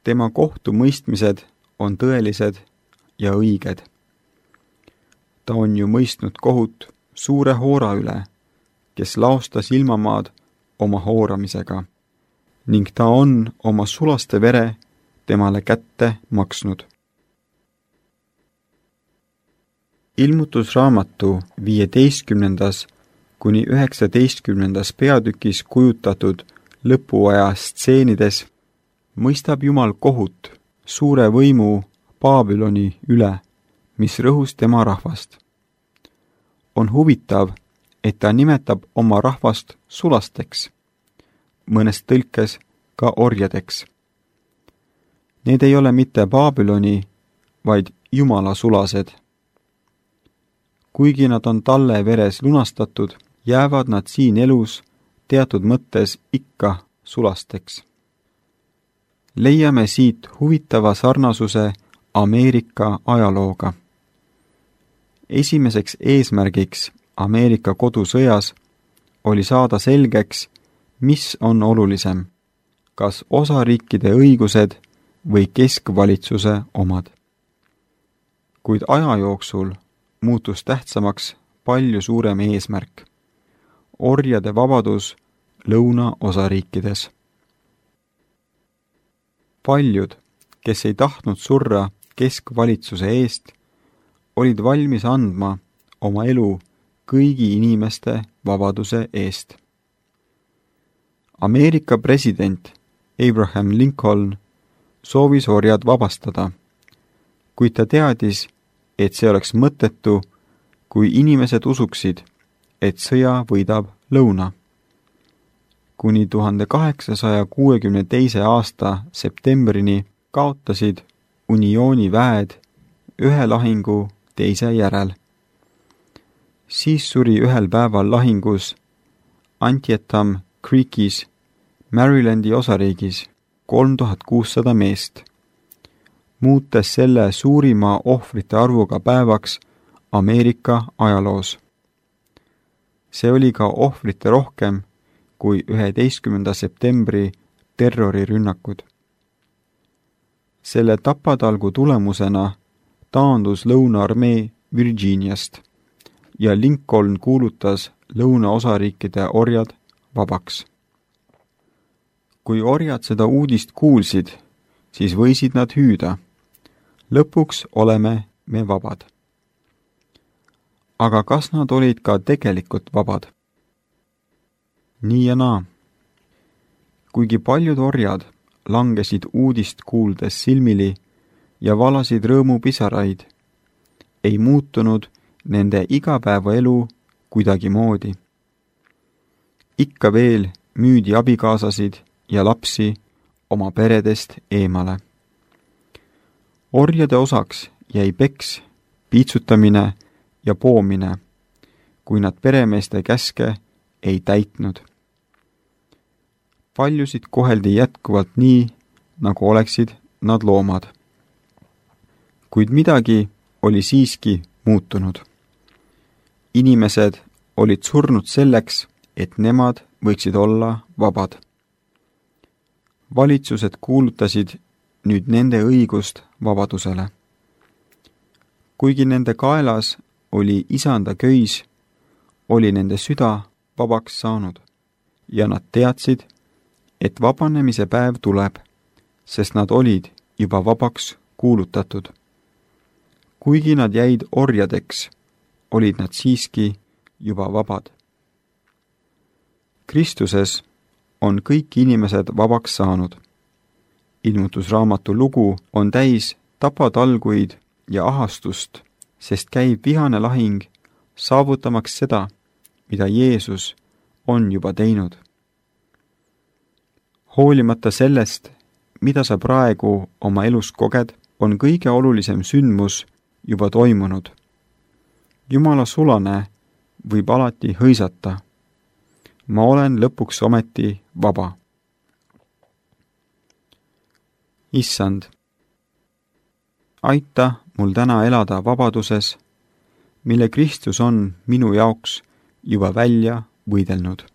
Tema kohtumõistmised on tõelised ja õiged. Ta on ju mõistnud kohut suure hoora üle, kes laostas ilmamaad oma hooramisega, ning ta on oma sulaste vere temale kätte maksnud. Ilmutusraamatu 15. kuni 19. peatükis kujutatud lõpuaja stseenides mõistab Jumal kohut suure võimu Babyloni üle, mis rõhus tema rahvast. On huvitav, et ta nimetab oma rahvast sulasteks, mõnes tõlkes ka orjadeks. Need ei ole mitte Babyloni, vaid Jumala sulased. Kuigi nad on talle veres lunastatud, jäävad nad siin elus teatud mõttes ikka sulasteks. Leiame siit huvitava sarnasuse Ameerika ajalooga. Esimeseks eesmärgiks Ameerika kodusõjas oli saada selgeks, mis on olulisem, kas osariikide õigused või keskvalitsuse omad. Kuid aja jooksul muutus tähtsamaks palju suurem eesmärk, orjade vabadus lõunaosariikides. Paljud, kes ei tahtnud surra keskvalitsuse eest, olid valmis andma oma elu kõigi inimeste vabaduse eest. Ameerika president Abraham Lincoln soovis orjad vabastada, kuid ta teadis, et see oleks mõttetu, kui inimesed usuksid, et sõja võidab lõuna. Kuni 1862. aasta septembrini kaotasid uniooni väed ühe lahingu teise järel. Siis suri ühel päeval lahingus Antietam Creekis, Marylandi osariigis 3600 meest, muutes selle suurima ohvrite arvuga päevaks Ameerika ajaloos. See oli ka ohvrite rohkem kui 11. septembri terrorirünnakud. Selle tapatalgu tulemusena taandus lõunaarmee Virginiast ja Lincoln kuulutas lõunaosariikide orjad vabaks. Kui orjad seda uudist kuulsid, siis võisid nad hüüda: lõpuks oleme me vabad. Aga kas nad olid ka tegelikult vabad? Nii ja naa. Kuigi paljud orjad langesid uudist kuuldes silmili ja valasid rõõmupisaraid, ei muutunud nende igapäevaelu kuidagimoodi. Ikka veel müüdi abikaasasid ja lapsi oma peredest eemale. Orjade osaks jäi peks, piitsutamine ja poomine, kui nad peremeeste käske ei täitnud. Paljusid koheldi jätkuvalt nii, nagu oleksid nad loomad. Kuid midagi oli siiski muutunud. Inimesed olid surnud selleks, et nemad võiksid olla vabad. Valitsused kuulutasid nüüd nende õigust vabadusele. Kuigi nende kaelas oli isanda köis, oli nende süda vabaks saanud ja nad teadsid, et vabanemise päev tuleb, sest nad olid juba vabaks kuulutatud. Kuigi nad jäid orjadeks, olid nad siiski juba vabad. Kristuses on kõik inimesed vabaks saanud. Ilmutusraamatu lugu on täis tapatalguid ja ahastust, sest käib vihane lahing saavutamaks seda, mida Jeesus on juba teinud. Hoolimata sellest, mida sa praegu oma elus koged, on kõige olulisem sündmus juba toimunud. Jumala sulane võib alati hõisata: ma olen lõpuks ometi vaba. Issand, aita mul täna elada vabaduses, mille Kristus on minu jaoks juba välja võidelnud.